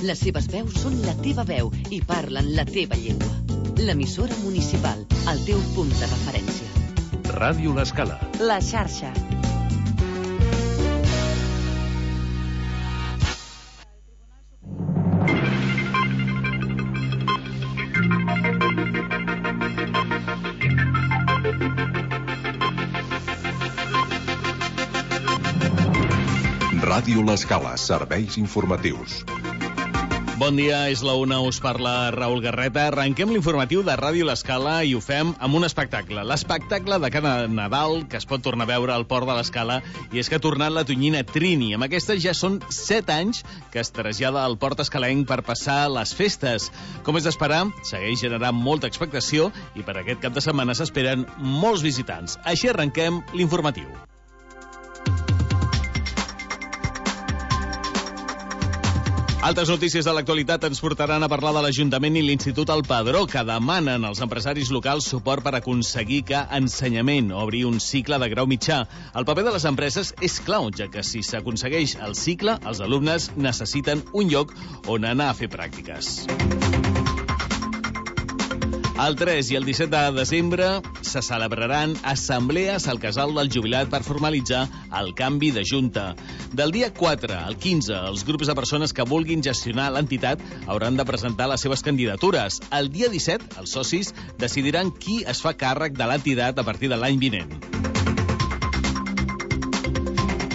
Les seves veus són la teva veu i parlen la teva llengua. L'emissora municipal, el teu punt de referència. Ràdio L'Escala. La xarxa. Ràdio L'Escala, serveis informatius. Bon dia, és la una, us parla Raül Garreta. Arrenquem l'informatiu de Ràdio L'Escala i ho fem amb un espectacle. L'espectacle de cada Nadal que es pot tornar a veure al Port de l'Escala, i és que ha tornat la tonyina Trini. Amb aquesta ja són 7 anys que es trasllada al Port escalenc per passar les festes. Com és d'esperar, segueix generant molta expectació i per aquest cap de setmana s'esperen molts visitants. Així arrenquem l'informatiu. Altres notícies de l'actualitat ens portaran a parlar de l'Ajuntament i l'Institut El Padró, que demanen als empresaris locals suport per aconseguir que ensenyament obri un cicle de grau mitjà. El paper de les empreses és clau, ja que si s'aconsegueix el cicle, els alumnes necessiten un lloc on anar a fer pràctiques. El 3 i el 17 de desembre se celebraran assemblees al Casal del Jubilat per formalitzar el canvi de junta. Del dia 4 al 15, els grups de persones que vulguin gestionar l'entitat hauran de presentar les seves candidatures. El dia 17, els socis decidiran qui es fa càrrec de l'entitat a partir de l'any vinent.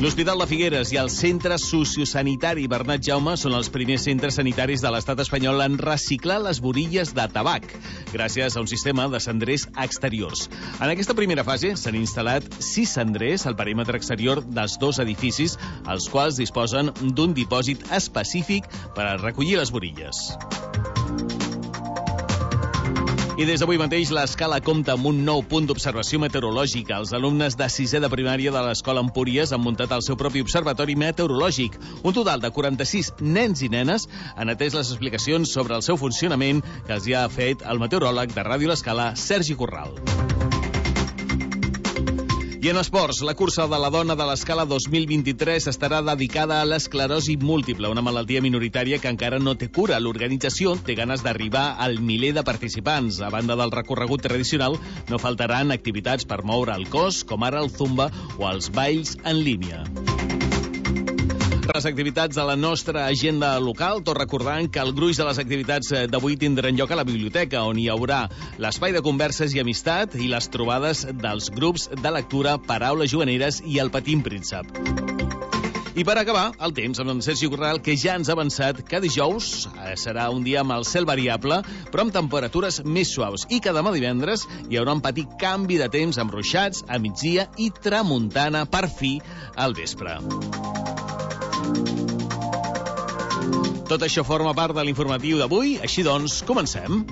L'Hospital de Figueres i el Centre Sociosanitari Bernat Jaume són els primers centres sanitaris de l'estat espanyol en reciclar les borilles de tabac, gràcies a un sistema de cendrers exteriors. En aquesta primera fase s'han instal·lat 6 cendrers al perímetre exterior dels 2 edificis, els quals disposen d'un dipòsit específic per a recollir les borilles. I des d'avui mateix l'Escala compta amb un nou punt d'observació meteorològica. Els alumnes de 6è de primària de l'Escola Empúries han muntat el seu propi observatori meteorològic. Un total de 46 nens i nenes han atès les explicacions sobre el seu funcionament que els hi ha fet el meteoròleg de Ràdio L'Escala, Sergi Corral. I en esports, la cursa de la dona de l'Escala 2023 estarà dedicada a l'esclerosi múltiple, una malaltia minoritària que encara no té cura. L'organització té ganes d'arribar al miler de participants. A banda del recorregut tradicional, no faltaran activitats per moure el cos, com ara el zumba o els balls en línia. Les activitats de la nostra agenda local, tot recordant que el gruix de les activitats d'avui tindran lloc a la biblioteca, on hi haurà l'espai de converses i amistat i les trobades dels grups de lectura Paraules Juganeres i El Petit Príncep. I per acabar, el temps amb en Sergi Corral, que ja ens ha avançat que dijous serà un dia amb el cel variable, però amb temperatures més suaus, i que demà divendres hi haurà un petit canvi de temps amb ruixats a migdia i tramuntana per fi al vespre. Tot això forma part de l'informatiu d'avui, així doncs, comencem.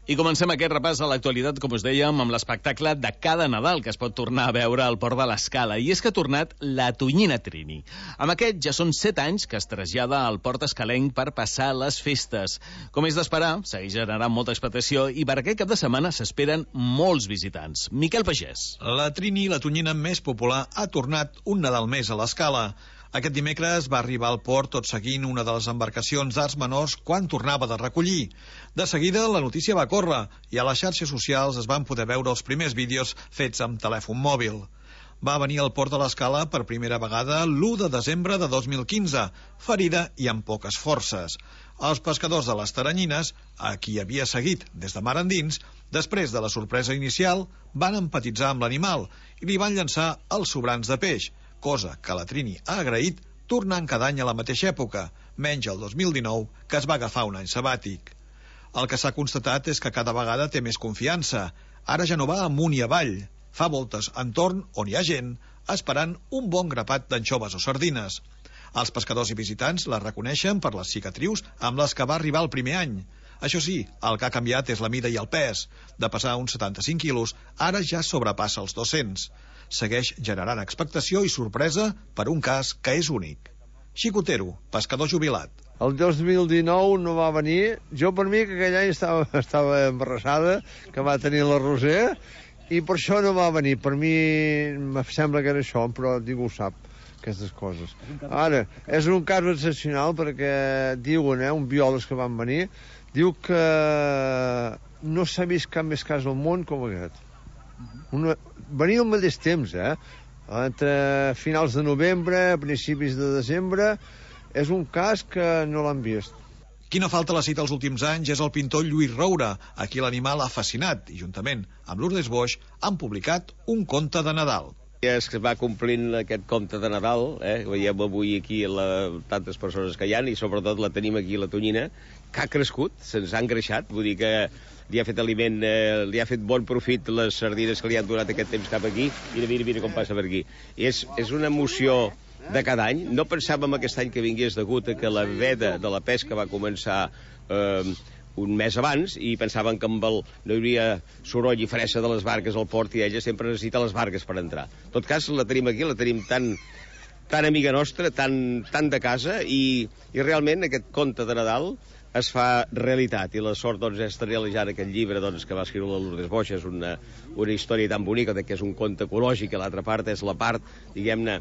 I comencem aquest repàs a l'actualitat, com us dèiem, amb l'espectacle de cada Nadal que es pot tornar a veure al Port de l'Escala. I és que ha tornat la tonyina Trini. Amb aquest ja són 7 anys que es trasllada al Port escalenc per passar les festes. Com és d'esperar, segueix generant molta expectació i per aquest cap de setmana s'esperen molts visitants. Miquel Pagès. La Trini, la tonyina més popular, ha tornat un Nadal més a l'Escala. Aquest dimecres va arribar al port tot seguint una de les embarcacions d'arts menors quan tornava de recollir. De seguida, la notícia va córrer i a les xarxes socials es van poder veure els primers vídeos fets amb telèfon mòbil. Va venir al port de l'Escala per primera vegada l'1 de desembre de 2015, ferida i amb poques forces. Els pescadors de les Taranyines, a qui havia seguit des de mar endins, després de la sorpresa inicial, van empatitzar amb l'animal i li van llançar els sobrants de peix, cosa que la Trini ha agraït tornant cada any a la mateixa època, menys el 2019, que es va agafar un any sabàtic. El que s'ha constatat és que cada vegada té més confiança. Ara ja no va amunt i avall. Fa voltes entorn on hi ha gent, esperant un bon grapat d'anxoves o sardines. Els pescadors i visitants la reconeixen per les cicatrius amb les que va arribar el primer any. Això sí, el que ha canviat és la mida i el pes. De pesar uns 75 quilos, ara ja sobrepassa els 200. Segueix generant expectació i sorpresa per un cas que és únic. Xicotero, pescador jubilat. El 2019 no va venir. Jo, per mi, que aquell any estava embarassada, que va tenir la Roser, i per això no va venir. Per mi em sembla que era això, però ningú ho sap, aquestes coses. Ara, és un cas excepcional perquè diuen, un biòleg que van venir, diu que no s'ha vist cap més cas al món com aquest. Venia al mateix temps, entre finals de novembre, principis de desembre. És un cas que no l'han vist. Qui no falta a la cita els últims anys és el pintor Lluís Roura, a qui l'animal ha fascinat, i juntament amb Lourdes Boix han publicat un conte de Nadal. Es va complint aquest conte de Nadal, veiem avui aquí tantes persones que hi ha, i sobretot la tenim aquí, la tonyina, que ha crescut, se'ns ha engreixat, vull dir que li ha fet aliment, li ha fet bon profit les sardines que li han donat aquest temps cap aquí. Mira com passa per aquí. És una emoció de cada any. No pensàvem aquest any que vingués degut a que la veda de la pesca va començar un mes abans i pensàvem que no hi hauria soroll i fressa de les barques al port i ella sempre necessita les barques per entrar. En tot cas, la tenim aquí, la tenim tan amiga nostra, tan de casa, i realment aquest conte de Nadal es fa realitat, i la sort és realitzar aquest llibre que va escriure la Lourdes Boix. És una història tan bonica, que és un conte ecològic, i l'altra part és la part, diguem-ne,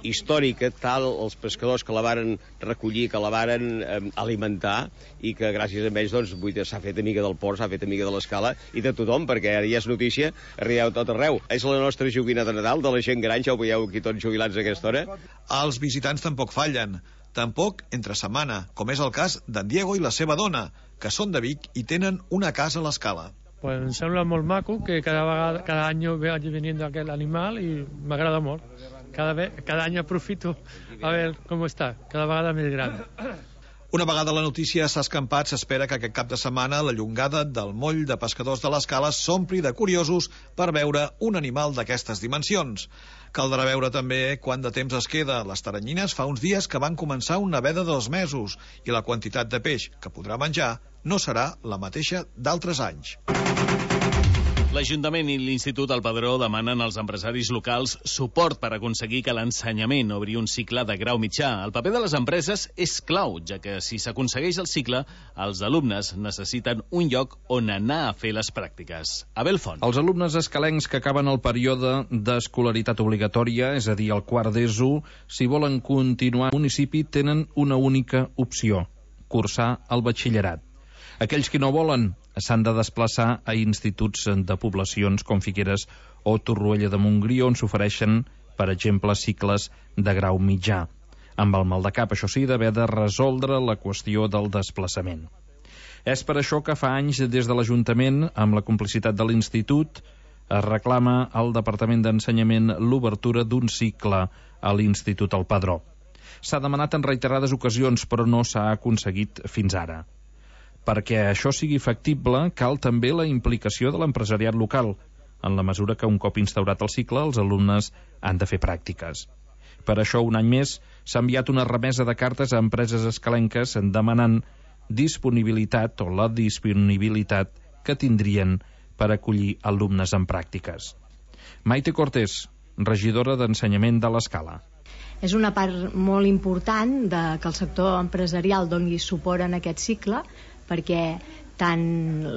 històrica, tal, els pescadors que la varen recollir, que la varen alimentar, i que gràcies a ells s'ha fet amiga del port, s'ha fet amiga de l'escala i de tothom, perquè ara ja és notícia, arribeu tot arreu. És la nostra joguina de Nadal, de la gent gran, ja ho veieu aquí tots jubilats a aquesta hora. Els visitants tampoc fallen. Tampoc entre setmana, com és el cas d'en Diego i la seva dona, que són de Vic i tenen una casa a l'Escala. Pues em sembla molt maco que cada any vagi venint aquest animal i m'agrada molt. Cada any aprofito a veure com està, cada vegada més gran. Una vegada la notícia s'ha escampat, s'espera que aquest cap de setmana la llongada del moll de pescadors de l'Escala s'ompli de curiosos per veure un animal d'aquestes dimensions. Caldrà veure també quant de temps es queda. Les taranyines fa uns dies que van començar una veda de 2 mesos i la quantitat de peix que podrà menjar no serà la mateixa d'altres anys. L'Ajuntament i l'Institut El Padró demanen als empresaris locals suport per aconseguir que l'ensenyament obri un cicle de grau mitjà. El paper de les empreses és clau, ja que si s'aconsegueix el cicle, els alumnes necessiten un lloc on anar a fer les pràctiques. Abel Font. Els alumnes escalencs que acaben el període d'escolaritat obligatòria, és a dir, el quart d'ESO, si volen continuar al municipi, tenen una única opció: cursar el batxillerat. Aquells que no volen s'han de desplaçar a instituts de poblacions com Figueres o Torroella de Montgrí, on s'ofereixen, per exemple, cicles de grau mitjà, amb el mal de cap, això sí, d'haver de resoldre la qüestió del desplaçament. És per això que fa anys, des de l'Ajuntament, amb la complicitat de l'Institut, es reclama al Departament d'Ensenyament l'obertura d'un cicle a l'Institut El Padró. S'ha demanat en reiterades ocasions, però no s'ha aconseguit fins ara. Perquè això sigui factible, cal també la implicació de l'empresariat local, en la mesura que un cop instaurat el cicle, els alumnes han de fer pràctiques. Per això, un any més, s'ha enviat una remesa de cartes a empreses escalenques demanant disponibilitat o la disponibilitat que tindrien per acollir alumnes en pràctiques. Maite Cortés, regidora d'Ensenyament de l'Escala. És una part molt important que el sector empresarial doni suport en aquest cicle, perquè tant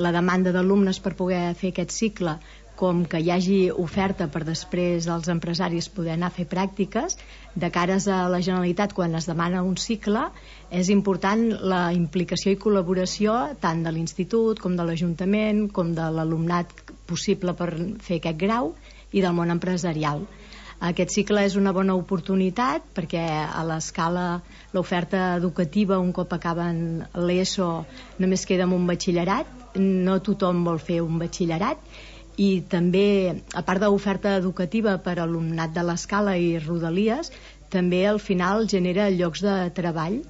la demanda d'alumnes per poder fer aquest cicle com que hi hagi oferta per després els empresaris poder anar a fer pràctiques, de cares a la Generalitat quan es demana un cicle, és important la implicació i col·laboració tant de l'Institut com de l'Ajuntament, com de l'alumnat possible per fer aquest grau i del món empresarial. Aquest cicle és una bona oportunitat perquè a l'Escala l'oferta educativa, un cop acaben l'ESO, només queda amb un batxillerat. No tothom vol fer un batxillerat, i també, a part de l'oferta educativa per a l'alumnat de l'Escala i Rodalies, també al final genera llocs de treball,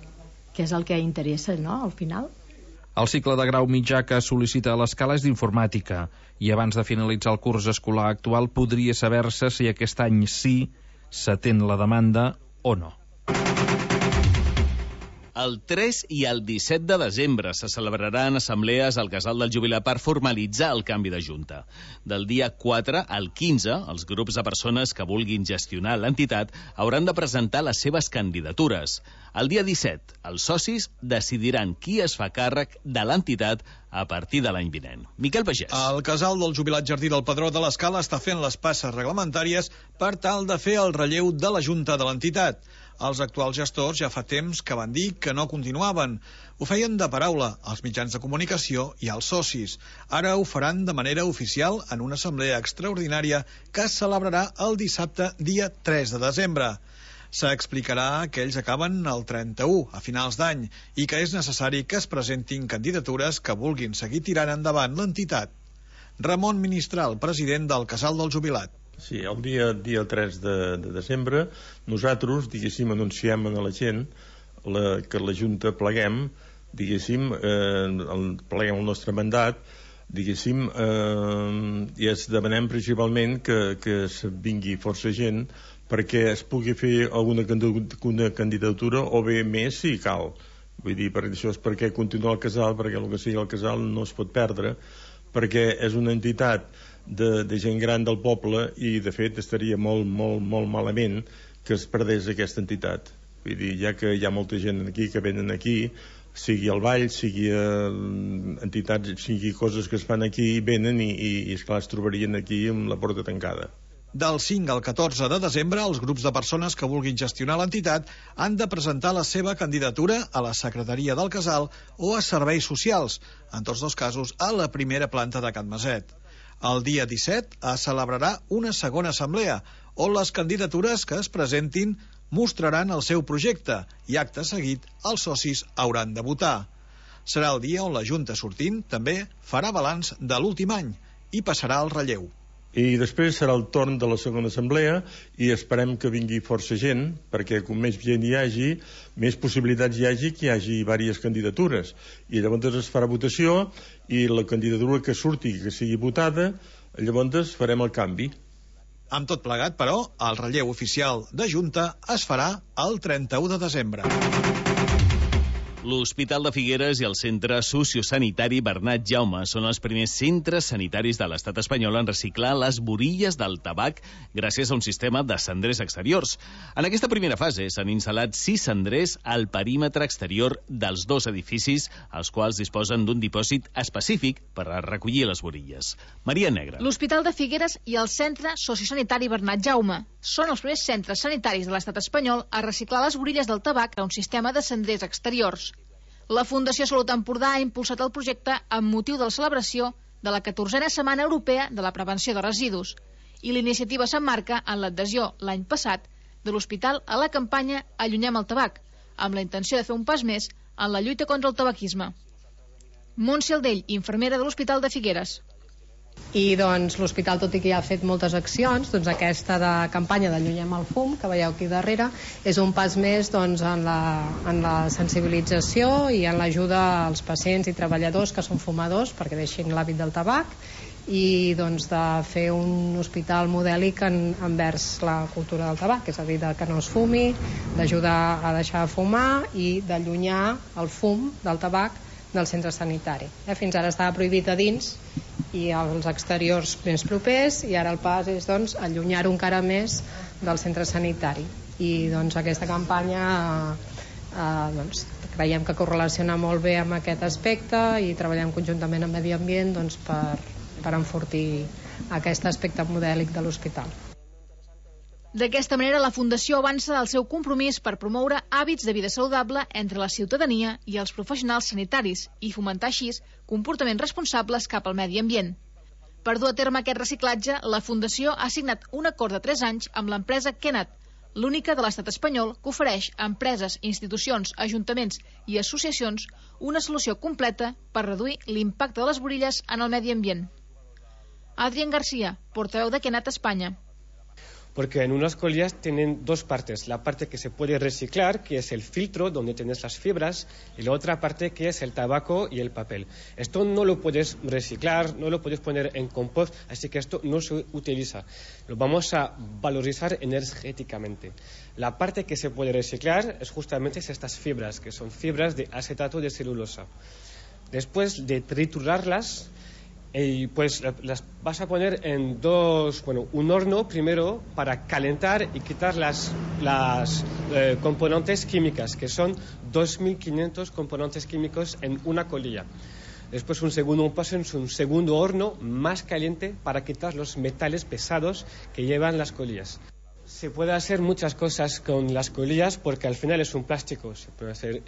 que és el que interessa, no?, al final. El cicle de grau mitjà que sol·licita a l'Escala és d'informàtica, i abans de finalitzar el curs escolar actual podria saber-se si aquest any sí s'atén la demanda o no. El 3 i el 17 de desembre se celebraran assemblees al Casal del Jubilat per formalitzar el canvi de junta. Del dia 4 al 15, els grups de persones que vulguin gestionar l'entitat hauran de presentar les seves candidatures. El dia 17, els socis decidiran qui es fa càrrec de l'entitat a partir de l'any vinent. Miquel Pagès. El Casal del Jubilat Jardí del Pedró de l'Escala està fent les passes reglamentàries per tal de fer el relleu de la junta de l'entitat. Els actuals gestors ja fa temps que van dir que no continuaven. Ho feien de paraula als mitjans de comunicació i als socis. Ara ho faran de manera oficial en una assemblea extraordinària que es celebrarà el dissabte, dia 3 de desembre. S'explicarà que ells acaben el 31, a finals d'any, i que és necessari que es presentin candidatures que vulguin seguir tirant endavant l'entitat. Ramon Ministral, president del Casal del Jubilat. Sí, el dia 3 de desembre nosaltres, diguéssim, anunciem a la gent que la Junta pleguem, diguéssim, pleguem el nostre mandat, diguéssim, i es demanem principalment que vingui força gent perquè es pugui fer alguna candidatura o bé més si cal. Vull dir, això és perquè continua el casal, perquè el que sigui el casal no es pot perdre, perquè és una entitat de gent gran del poble i de fet estaria molt malament que es perdés aquesta entitat. Vull dir, ja que hi ha molta gent aquí que venen aquí, sigui el ball, sigui entitats, sigui coses que es fan aquí, venen i esclar, es trobarien aquí amb la porta tancada. Del 5 al 14 de desembre, els grups de persones que vulguin gestionar l'entitat han de presentar la seva candidatura a la Secretaria del Casal o a Serveis Socials, en tots dos casos a la primera planta de Can Maset. El dia 17 es celebrarà una segona assemblea, on les candidatures que es presentin mostraran el seu projecte i, acte seguit, els socis hauran de votar. Serà el dia on la Junta sortint també farà balanç de l'últim any i passarà al relleu. I després serà el torn de la segona assemblea i esperem que vingui força gent, perquè com més gent hi hagi, més possibilitats hi hagi que hi hagi diverses candidatures. I llavors es farà votació i la candidatura que surti, que sigui votada, llavors farem el canvi. Amb tot plegat, però, el relleu oficial de Junta es farà el 31 de desembre. L'Hospital de Figueres i el Centre Sociosanitari Bernat Jaume són els primers centres sanitaris de l'estat espanyol en reciclar les borilles del tabac gràcies a un sistema de cendrers exteriors. En aquesta primera fase s'han instal·lat 6 cendrers al perímetre exterior dels 2 edificis, els quals disposen d'un dipòsit específic per a recollir les borilles. Maria Negra. L'Hospital de Figueres i el Centre Sociosanitari Bernat Jaume són els primers centres sanitaris de l'estat espanyol a reciclar les borilles del tabac a un sistema de cendrers exteriors. La Fundació Salut Empordà ha impulsat el projecte amb motiu de la celebració de la 14a Setmana Europea de la Prevenció de Residus i l'iniciativa s'emmarca en l'adhesió l'any passat de l'hospital a la campanya Allunyem el tabac, amb la intenció de fer un pas més en la lluita contra el tabaquisme. Montse Aldell, infermera de l'Hospital de Figueres. I doncs l'hospital, tot i que ja ha fet moltes accions, doncs aquesta de campanya d'Allunyem el fum, que veieu aquí darrere, és un pas més doncs, en la sensibilització i en l'ajuda als pacients i treballadors que són fumadors perquè deixin l'hàbit del tabac i doncs, de fer un hospital modèlic envers la cultura del tabac, és a dir, que no es fumi, d'ajudar a deixar de fumar i d'allunyar el fum del tabac del centre sanitari. Fins ara estava prohibit a dins i als exteriors més propers i ara el pas és doncs, allunyar-ho encara més del centre sanitari i doncs, aquesta campanya doncs, creiem que correlaciona molt bé amb aquest aspecte i treballem conjuntament amb Medi Ambient doncs, per enfortir aquest aspecte modèlic de l'hospital. D'aquesta manera, la Fundació avança el seu compromís per promoure hàbits de vida saludable entre la ciutadania i els professionals sanitaris i fomentar així comportaments responsables cap al medi ambient. Per dur a terme aquest reciclatge, la Fundació ha signat un acord de 3 anys amb l'empresa Kenat, l'única de l'estat espanyol que ofereix a empreses, institucions, ajuntaments i associacions una solució completa per reduir l'impacte de les borilles en el medi ambient. Adrián García, portaveu de Kenat Espanya. porque en unas colillas tienen dos partes, la parte que se puede reciclar, que es el filtro donde tienes las fibras, y la otra parte que es el tabaco y el papel. Esto no lo puedes reciclar, no lo puedes poner en compost, así que esto no se utiliza. Lo vamos a valorizar energéticamente. La parte que se puede reciclar es justamente estas fibras, que son fibras de acetato de celulosa. Después de triturarlas, pues las vas a poner en un horno primero para calentar y quitar las componentes químicas, que son 2.500 componentes químicos en una colilla. Después un segundo paso en un segundo horno más caliente para quitar los metales pesados que llevan las colillas. Se puede hacer muchas cosas con las colillas porque al final es un plástico. Se puede hacer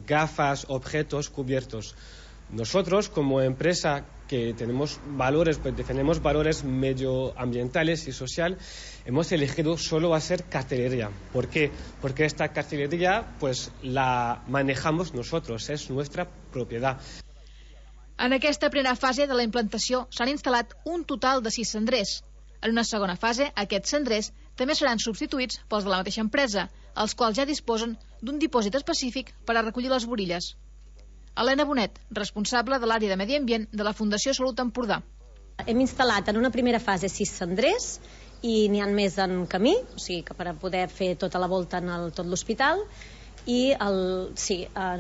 gafas, objetos, cubiertos. Nosotros, como empresa que tenemos valores, pues defendemos valores medioambientales y social, hemos elegido solo hacer cartelería. ¿Por qué? Porque esta cartelería pues la manejamos nosotros, es nuestra propiedad. En aquesta primera fase de la implantació s'han instal·lat un total de 6 cendrers. En una segona fase, aquests cendrers també seran substituïts pels de la mateixa empresa, els quals ja disposen d'un dipòsit específic per a recollir les borilles. Helena Bonet, responsable de l'àrea de Medi Ambient de la Fundació Salut Empordà. Hem instal·lat en una primera fase 6 cendrers i n'hi ha més en camí, o sigui que per a poder fer tota la volta en tot l'hospital. I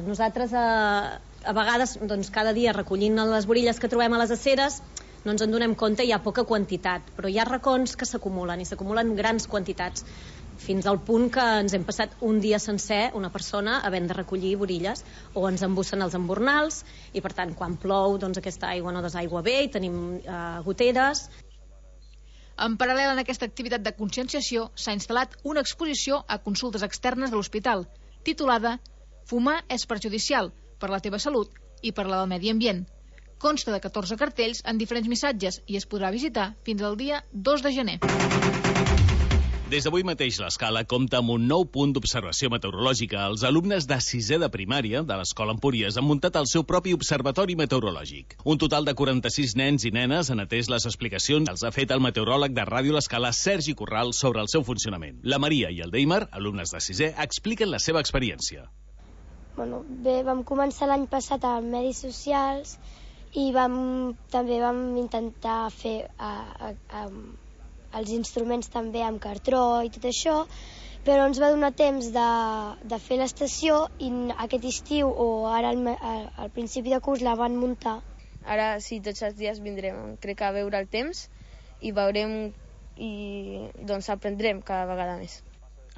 nosaltres a vegades doncs, cada dia recollint les borilles que trobem a les aceres no ens en donem compte, hi ha poca quantitat, però hi ha racons que s'acumulen i s'acumulen grans quantitats, fins al punt que ens hem passat un dia sencer, una persona, havent de recollir borilles, o ens embussen els embornals, i per tant, quan plou, doncs aquesta aigua no desaigua bé i tenim goteres. En paral·lel a aquesta activitat de conscienciació, s'ha instal·lat una exposició a consultes externes de l'hospital, titulada Fumar és perjudicial per la teva salut i per la del medi ambient. Consta de 14 cartells en diferents missatges i es podrà visitar fins al dia 2 de gener. Des d'avui mateix l'Escala compta amb un nou punt d'observació meteorològica. Els alumnes de 6è de primària de l'Escola Empúries han muntat el seu propi observatori meteorològic. Un total de 46 nens i nenes han atès les explicacions que els ha fet el meteoròleg de Ràdio L'Escala, Sergi Corral, sobre el seu funcionament. La Maria i el Deimar, alumnes de 6è, expliquen la seva experiència. Bé, vam començar l'any passat a Medis Socials i també vam intentar fer els instruments també amb cartró i tot això, però ens va donar temps de fer l'estació i aquest estiu o ara al principi de curs la van muntar. Ara sí, tots els dies vindrem, crec, a veure el temps i veurem i doncs aprendrem cada vegada més.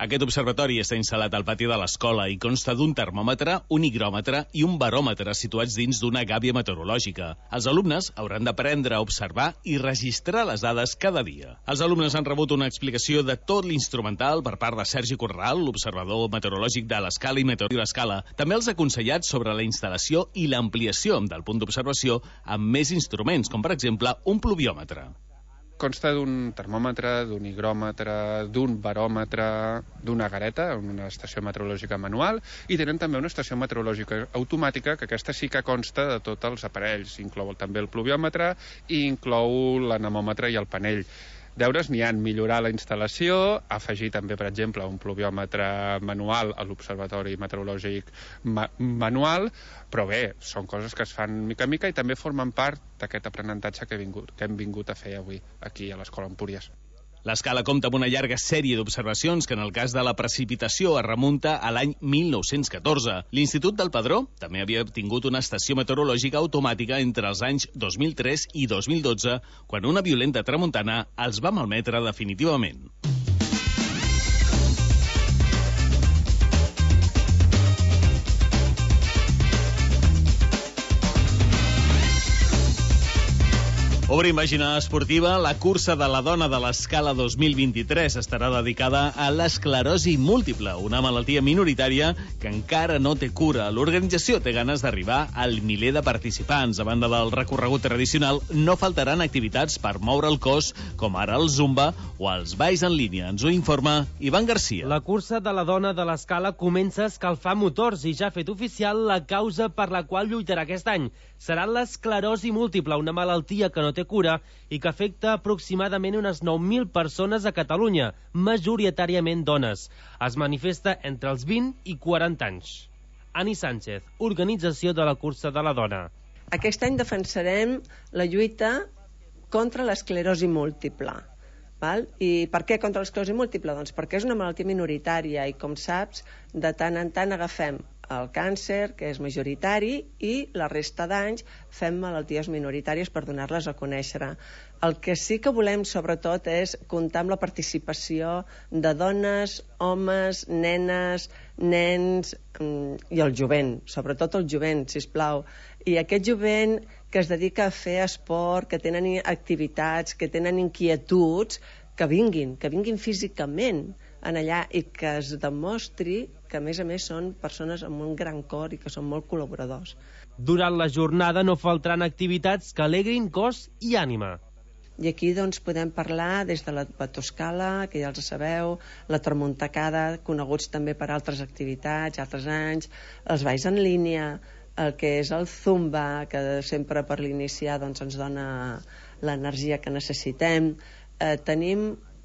Aquest observatori està instal·lat al pati de l'escola i consta d'un termòmetre, un higròmetre i un baròmetre situats dins d'una gàbia meteorològica. Els alumnes hauran d'aprendre a observar i registrar les dades cada dia. Els alumnes han rebut una explicació de tot l'instrumental per part de Sergi Corral, l'observador meteorològic de l'Escala i Meteoròleg l'Escala. També els ha aconsellat sobre la instal·lació i l'ampliació del punt d'observació amb més instruments, com per exemple un pluviòmetre. Consta d'un termòmetre, d'un higròmetre, d'un baròmetre, d'una gareta, una estació meteorològica manual, i tenen també una estació meteorològica automàtica, que aquesta sí que consta de tots els aparells. Inclou també el pluviòmetre i inclou l'anemòmetre i el panell. Deures n'hi ha, millorar la instal·lació, afegir també, per exemple, un pluviòmetre manual a l'observatori meteorològic manual, però bé, són coses que es fan mica en mica i també formen part d'aquest aprenentatge que hem vingut a fer avui aquí a l'Escola Empúries. L'Escala compta amb una llarga sèrie d'observacions que en el cas de la precipitació es remunta a l'any 1914. L'Institut del Padró també havia tingut una estació meteorològica automàtica entre els anys 2003 i 2012, quan una violenta tramuntana els va malmetre definitivament. Obrim pàgina esportiva. La cursa de la dona de l'Escala 2023 estarà dedicada a l'esclerosi múltiple, una malaltia minoritària que encara no té cura. L'organització té ganes d'arribar al miler de participants. A banda del recorregut tradicional, no faltaran activitats per moure el cos, com ara el zumba o els balls en línia. Ens ho informa Ivan Garcia. La cursa de la dona de l'Escala comença a escalfar motors i ja ha fet oficial la causa per la qual lluitarà aquest any. Serà l'esclerosi múltiple, una malaltia que no té té cura i que afecta aproximadament unes 9.000 persones a Catalunya, majoritàriament dones. Es manifesta entre els 20 i 40 anys. Ani Sánchez, Organització de la Cursa de la Dona. Aquest any defensarem la lluita contra l'esclerosi múltiple. Val? I per què contra l'esclerosi múltiple? Doncs perquè és una malaltia minoritària i, com saps, de tant en tant agafem el càncer, que és majoritari, i la resta d'anys fem malalties minoritàries per donar-les a conèixer. El que sí que volem, sobretot, és comptar amb la participació de dones, homes, nenes, nens i el jovent, sobretot el jovent, sisplau. I aquest jovent que es dedica a fer esport, que tenen activitats, que tenen inquietuds, que vinguin físicament en allà i que es demostri que, a més, són persones amb un gran cor i que són molt col·laboradors. Durant la jornada no faltaran activitats que alegrin cos i ànima. I aquí doncs, podem parlar des de la batoscala, que ja els sabeu, la tramuntacada, coneguts també per altres activitats, altres anys, els balls en línia, el que és el zumba, que sempre per l'iniciar doncs, ens dona l'energia que necessitem. Tenim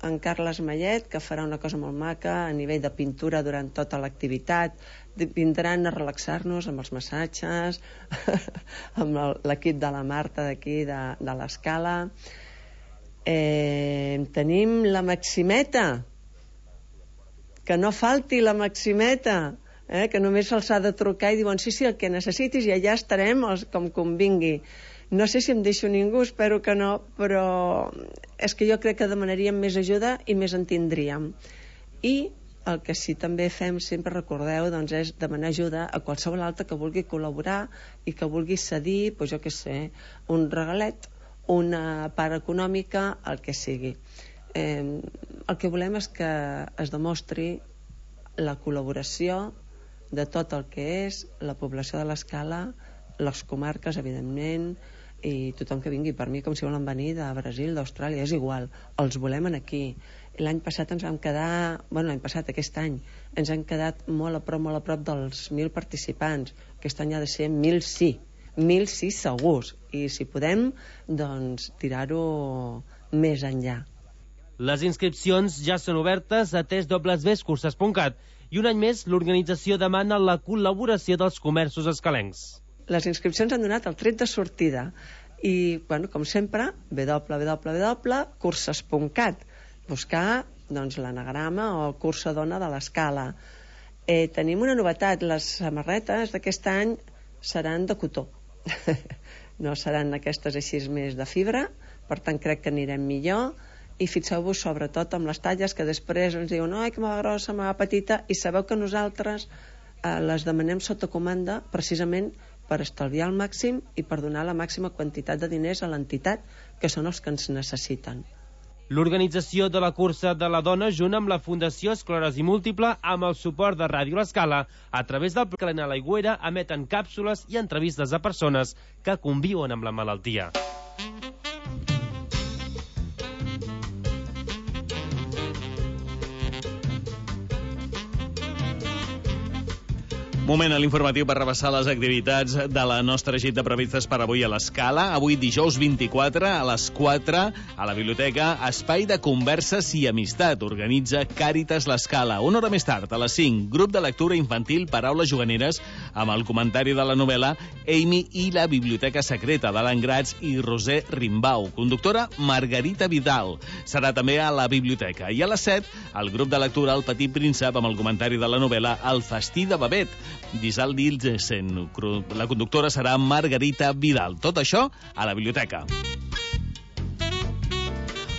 en Carles Mallet, que farà una cosa molt maca a nivell de pintura durant tota l'activitat. Vindran a relaxar-nos amb els massatges, amb l'equip de la Marta d'aquí, de l'Escala. Tenim la Maximeta, que no falti la Maximeta, que només se'ls ha de trucar i diuen sí, el que necessitis i allà estarem com convingui. No sé si em deixo ningú, espero que no, però és que jo crec que demanaríem més ajuda i més en tindríem. I el que sí també fem, sempre recordeu, doncs és demanar ajuda a qualsevol altre que vulgui col·laborar i que vulgui cedir, doncs jo què sé, un regalet, una part econòmica, el que sigui. El que volem és que es demostri la col·laboració de tot el que és la població de l'Escala, les comarques, evidentment, i tothom que vingui. Per mi, com si volen venir de Brasil, d'Austràlia, és igual, els volem aquí. L'any passat ens vam quedar, aquest any, ens hem quedat molt a prop dels 1.000 participants. Aquest any ha de ser 1.000 sí segurs, i si podem, doncs tirar-ho més enllà. Les inscripcions ja són obertes a www.curses.cat i un any més l'organització demana la col·laboració dels comerços escalencs. Les inscripcions han donat el tret de sortida i, com sempre, www.curses.cat, buscar l'anagrama o cursa dona de l'Escala. Tenim una novetat, les samarretes d'aquest any seran de cotó. No seran aquestes així més de fibra, per tant crec que anirem millor. I fixeu-vos sobretot amb les talles, que després ens diuen que me va grossa, me va petita, i sabeu que nosaltres les demanem sota comanda precisament per estalviar al màxim i per donar la màxima quantitat de diners a l'entitat, que són els que ens necessiten. L'organització de la cursa de la dona, junt amb la Fundació Esclerosi Múltiple, amb el suport de Ràdio l'Escala, a través del programa L'Aigüera, emeten càpsules i entrevistes a persones que conviuen amb la malaltia. Moment a l'informatiu per repassar les activitats de la nostra gita previstes per avui a l'Escala. Avui, dijous 24, a les 4, a la biblioteca, espai de converses i amistat. Organitza Càritas l'Escala. Una hora més tard, a les 5, grup de lectura infantil Paraules juganeres, amb el comentari de la novel·la Amy i la biblioteca secreta d'Alan Gratz i Roser Rimbau. Conductora Margarita Vidal. Serà també a la biblioteca. I a les 7, el grup de lectura El Petit Príncep, amb el comentari de la novel·la El festí de Babet, d'Isal Dilsen. La conductora serà Margarita Vidal. Tot això a la biblioteca.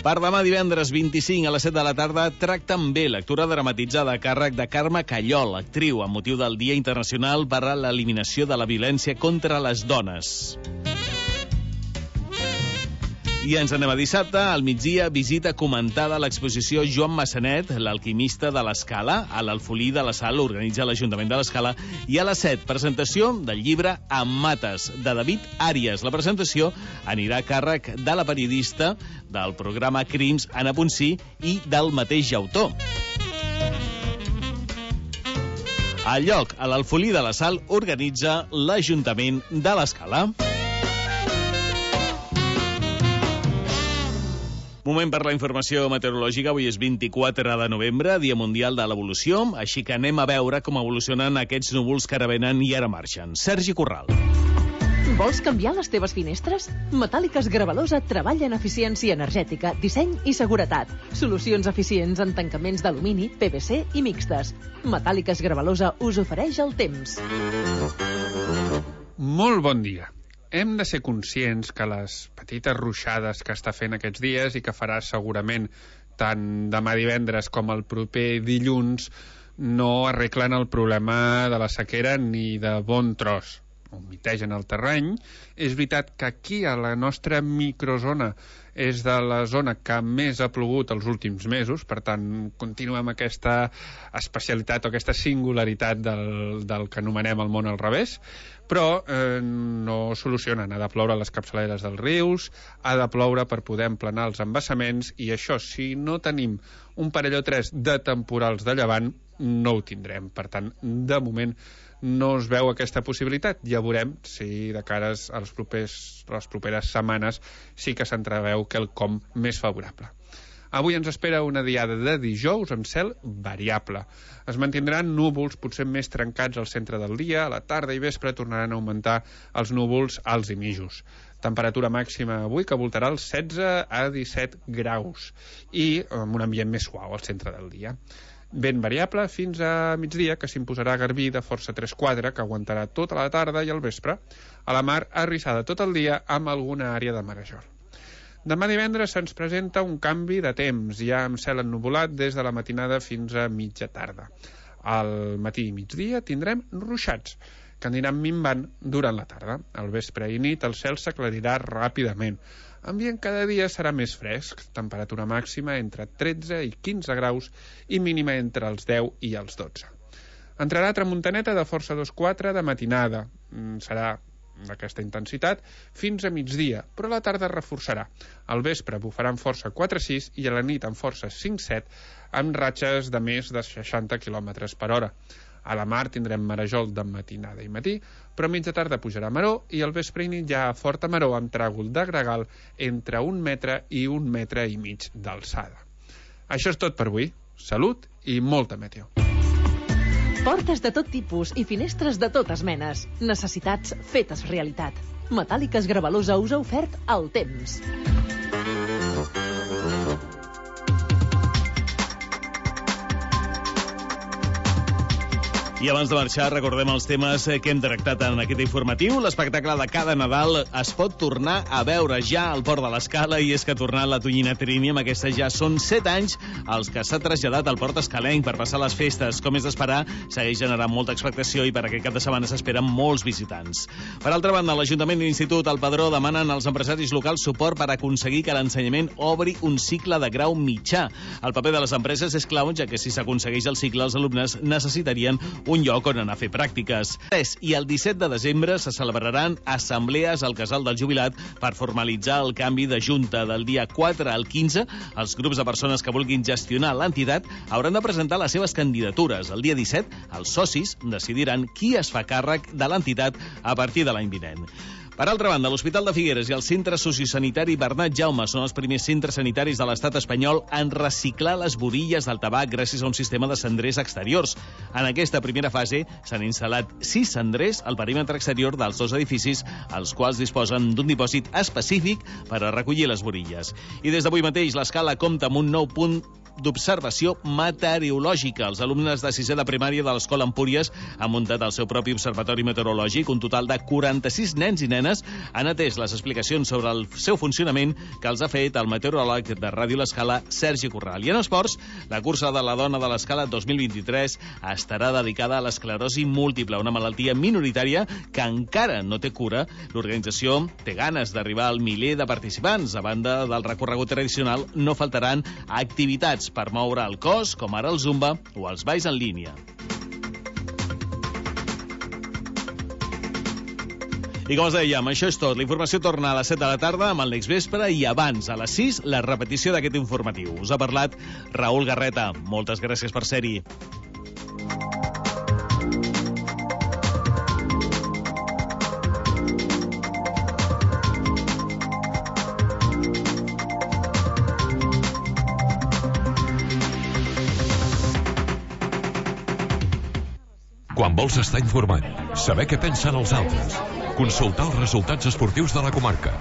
Per demà divendres 25 a les 7 de la tarda, Tracta'm bé, lectura dramatitzada a càrrec de Carme Callol, actriu, amb motiu del Dia Internacional per a l'Eliminació de la Violència contra les Dones. I ens anem a dissabte, al migdia, visita comentada a l'exposició Joan Massanet, l'alquimista de l'Escala, a l'Alfolí de la Sal, organitza l'Ajuntament de l'Escala, i a les 7, presentació del llibre Amb mates, de David Àries. La presentació anirà a càrrec de la periodista del programa Crims, Anna Ponsí, i del mateix autor. Al lloc, a l'Alfolí de la Sal, organitza l'Ajuntament de l'Escala. Moment per la informació meteorològica. Avui és 24 de novembre, Dia Mundial de l'Evolució, així que anem a veure com evolucionen aquests núvols que ara venen i ara marxen. Sergi Corral. Vols canviar les teves finestres? Metàl·liques Gravalosa treballa en eficiència energètica, disseny i seguretat. Solucions eficients en tancaments d'alumini, PVC i mixtes. Metàl·liques Gravalosa us ofereix el temps. Molt bon dia. Hem de ser conscients que les petites ruixades que està fent aquests dies i que farà segurament tant demà divendres com el proper dilluns no arreglen el problema de la sequera ni de bon tros. Humitegen el terreny. És veritat que aquí a la nostra microzona és de la zona que més ha plogut els últims mesos, per tant continuem aquesta especialitat o aquesta singularitat del que anomenem el món al revés, però no solucionen. Ha de ploure a les capçaleres dels rius, ha de ploure per poder emplenar els embassaments, i això, si no tenim un parell o tres de temporals de llevant, no ho tindrem. Per tant, de moment no es veu aquesta possibilitat. Ja veurem si de cares a les properes setmanes sí que s'entreveu quelcom més favorable. Avui ens espera una diada de dijous amb cel variable. Es mantindran núvols potser més trencats al centre del dia, a la tarda i vespre tornaran a augmentar els núvols alts i mitjos. Temperatura màxima avui que voltarà els 16 a 17 graus i amb un ambient més suau al centre del dia. Vent variable fins a migdia, que s'imposarà garbí de força 3/4, que aguantarà tota la tarda i al vespre. A la mar, arrissada tot el dia amb alguna àrea de marejol. Demà divendres se'ns presenta un canvi de temps, ja amb cel ennuvolat des de la matinada fins a mitja tarda. Al matí i migdia tindrem ruixats, que aniran minvant durant la tarda. Al vespre i nit el cel s'aclarirà ràpidament. Ambient cada dia serà més fresc, temperatura màxima entre 13 i 15 graus i mínima entre els 10 i els 12. Entrarà tramuntaneta de força 2/4 de matinada. Serà d'aquesta intensitat fins a migdia, però a la tarda es reforçarà. Al vespre bufarà amb força 4-6 i a la nit amb força 5-7, amb ratxes de més de 60 km per hora. A la mar tindrem marejol de matinada i matí, però a mitja tarda pujarà maró i al vespre i nit ja a forta maró amb tràgol de gregal entre 1 metre i 1,5 metres d'alçada. Això és tot per avui. Salut i molta meteo. Portes de tot tipus i finestres de totes menes. Necessitats fetes realitat. Metàl·liques Gravalosa us ha ofert el temps. I abans de marxar, recordem els temes que hem tractat en aquest informatiu. L'espectacle de cada Nadal es pot tornar a veure ja al Port de l'Escala, i és que ha tornat la Tonyina Trini. Amb aquesta ja són 7 anys els que s'ha traslladat al Port escalenc per passar les festes. Com és d'esperar, segueix generant molta expectació i per aquest cap de setmana s'esperen molts visitants. Per altra banda, l'Ajuntament i l'Institut El Padró demanen als empresaris locals suport per aconseguir que l'ensenyament obri un cicle de grau mitjà. El paper de les empreses és clau, ja que si s'aconsegueix el cicle, els alumnes necessitarien un lloc on anar a fer pràctiques. I el 17 de desembre se celebraran assemblees al Casal del Jubilat per formalitzar el canvi de junta. Del dia 4 al 15, els grups de persones que vulguin gestionar l'entitat hauran de presentar les seves candidatures. El dia 17, els socis decidiran qui es fa càrrec de l'entitat a partir de l'any vinent. Per altra banda, l'Hospital de Figueres i el Centre Sociosanitari Bernat Jaume són els primers centres sanitaris de l'estat espanyol en reciclar les borilles del tabac gràcies a un sistema de cendrers exteriors. En aquesta primera fase s'han instal·lat 6 cendrers al perímetre exterior dels 2 edificis, els quals disposen d'un dipòsit específic per a recollir les borilles. I des d'avui mateix l'Escala compta amb un nou punt d'observació meteorològica. Els alumnes de 6è de primària de l'Escola Empúries han muntat el seu propi observatori meteorològic. Un total de 46 nens i nenes han atès les explicacions sobre el seu funcionament que els ha fet el meteoròleg de Ràdio l'Escala, Sergi Corral. I en esports, la cursa de la dona de l'Escala 2023 estarà dedicada a l'esclerosi múltiple, una malaltia minoritària que encara no té cura. L'organització té ganes d'arribar al miler de participants. A banda del recorregut tradicional, no faltaran activitats per moure el cos, com ara el zumba o els balls en línia. I com us dèiem, això és tot. La informació torna a les 7 de la tarda amb el Next Vespre i abans, a les 6, la repetició d'aquest informatiu. Us ha parlat Raül Garreta. Moltes gràcies per ser-hi. vols estar informat, saber què pensen els altres, consultar els resultats esportius de la comarca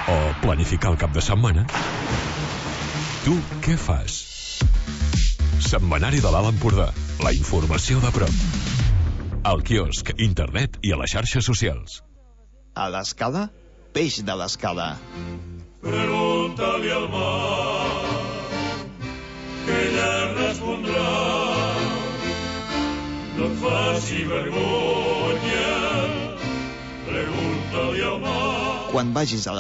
o planificar el cap de setmana, tu què fas? Setmanari de l'Alt Empordà, la informació de prop. Al quiosc, internet i a les xarxes socials. A l'Escala, peix de l'Escala. Pregunta-li al mar, que ella respondrà. No et faci vergonya, pregunta-li al mar. Quan vagis a